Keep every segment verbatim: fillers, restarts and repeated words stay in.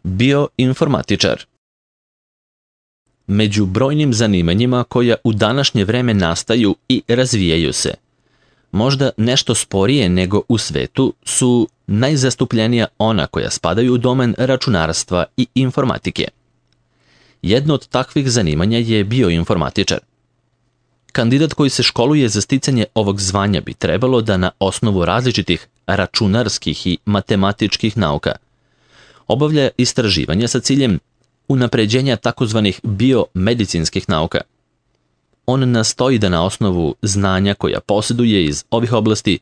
Bioinformatičar. Među brojnim zanimanjima koja u današnje vreme nastaju i razvijaju se, možda nešto sporije nego u svetu, su najzastupljenija ona koja spadaju u domen računarstva i informatike. Jedno od takvih zanimanja je bioinformatičar. Kandidat koji se školuje za sticanje ovog zvanja bi trebalo da na osnovu različitih računarskih i matematičkih nauka obavlja istraživanja sa ciljem unapređenja takozvanih biomedicinskih nauka. On nastoji da na osnovu znanja koja posjeduje iz ovih oblasti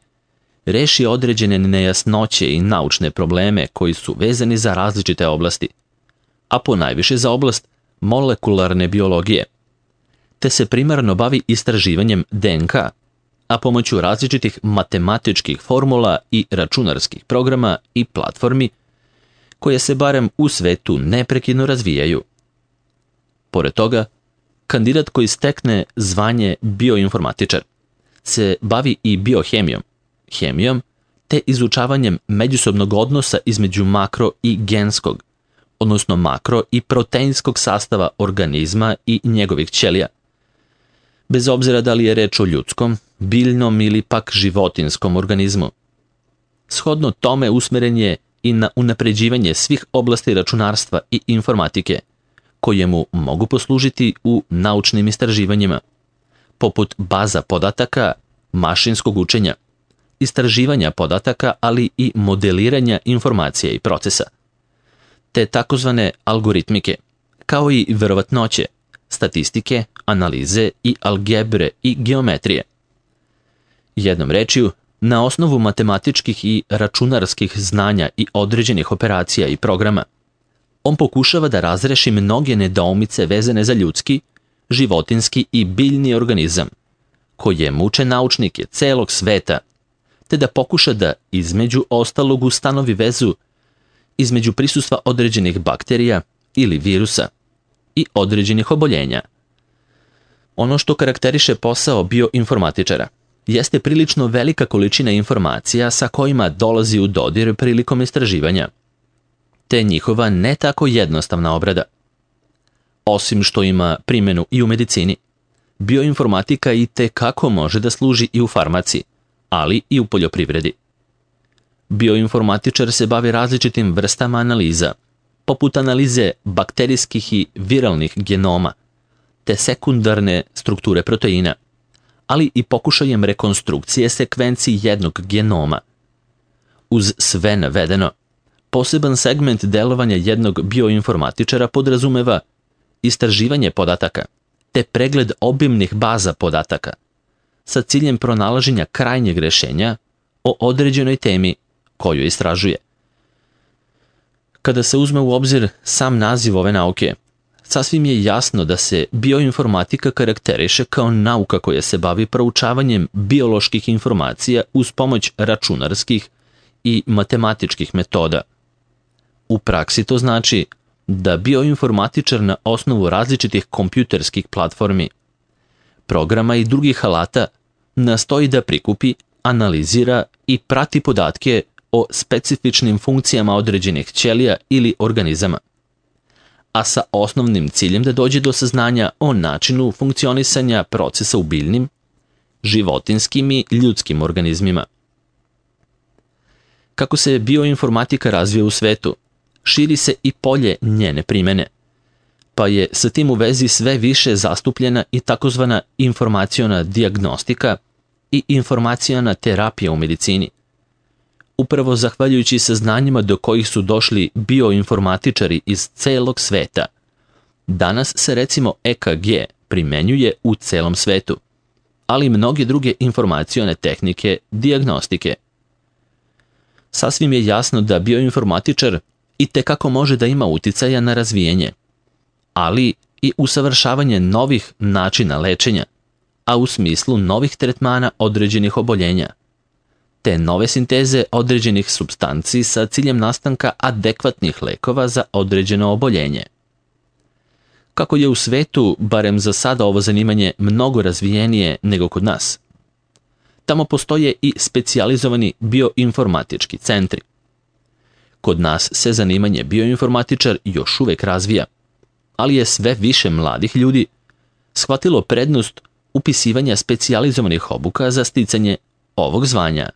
reši određene nejasnoće i naučne probleme koji su vezani za različite oblasti, a ponajviše za oblast molekularne biologije, te se primarno bavi istraživanjem D N K, a pomoću različitih matematičkih formula i računarskih programa i platformi koje se barem u svetu neprekidno razvijaju. Pored toga, kandidat koji stekne zvanje bioinformatičar se bavi i biohemijom, hemijom te izučavanjem međusobnog odnosa između makro i genskog, odnosno makro i proteinskog sastava organizma i njegovih ćelija, bez obzira da li je reč o ljudskom, biljnom ili pak životinskom organizmu. Shodno tome usmeren je i na unapređivanje svih oblasti računarstva i informatike, koje mu mogu poslužiti u naučnim istraživanjima, poput baza podataka, mašinskog učenja, istraživanja podataka, ali i modeliranja informacija i procesa, te takozvane algoritmike, kao i verovatnoće, statistike, analize i algebre i geometrije. Jednom rečju, na osnovu matematičkih i računarskih znanja i određenih operacija i programa, on pokušava da razreši mnoge nedoumice vezane za ljudski, životinski i biljni organizam, koje muče naučnike celog sveta, te da pokuša da između ostalog ustanovi vezu između prisustva određenih bakterija ili virusa i određenih oboljenja. Ono što karakteriše posao bioinformatičara jeste prilično velika količina informacija sa kojima dolazi u dodir prilikom istraživanja, te njihova ne tako jednostavna obrada. Osim što ima primjenu i u medicini, bioinformatika i te kako može da služi i u farmaciji, ali i u poljoprivredi. Bioinformatičar se bavi različitim vrstama analiza, poput analize bakterijskih i viralnih genoma, te sekundarne strukture proteina, ali i pokušajem rekonstrukcije sekvenciji jednog genoma. Uz sve navedeno, poseban segment delovanja jednog bioinformatičara podrazumeva istraživanje podataka, te pregled obimnih baza podataka, sa ciljem pronalaženja krajnjeg rešenja o određenoj temi koju istražuje. Kada se uzme u obzir sam naziv ove nauke, sasvim je jasno da se bioinformatika karakteriše kao nauka koja se bavi proučavanjem bioloških informacija uz pomoć računarskih i matematičkih metoda. U praksi to znači da bioinformatičar na osnovu različitih kompjuterskih platformi, programa i drugih alata nastoji da prikupi, analizira i prati podatke o specifičnim funkcijama određenih ćelija ili organizama, a sa osnovnim ciljem da dođe do saznanja o načinu funkcionisanja procesa u biljnim, životinskim i ljudskim organizmima. Kako se bioinformatika razvija u svetu, širi se i polje njene primene, pa je sa tim u vezi sve više zastupljena i takozvana informaciona dijagnostika i informaciona terapija u medicini. Upravo zahvaljujući saznanjima do kojih su došli bioinformatičari iz celog sveta, danas se recimo E K G primenjuje u celom svetu, ali i mnoge druge informacione tehnike dijagnostike. Sasvim je jasno da bioinformatičar i tekako može da ima uticaja na razvijenje, ali i usavršavanje novih načina lečenja, a u smislu novih tretmana određenih oboljenja, te nove sinteze određenih supstanci sa ciljem nastanka adekvatnih lekova za određeno oboljenje. Kako je u svetu, barem za sada, ovo zanimanje mnogo razvijenije nego kod nas, tamo postoje i specijalizovani bioinformatički centri, Kod nas se zanimanje bioinformatičar još uvek razvija, ali je sve više mladih ljudi shvatilo prednost upisivanja specijalizovanih obuka za sticanje ovog zvanja.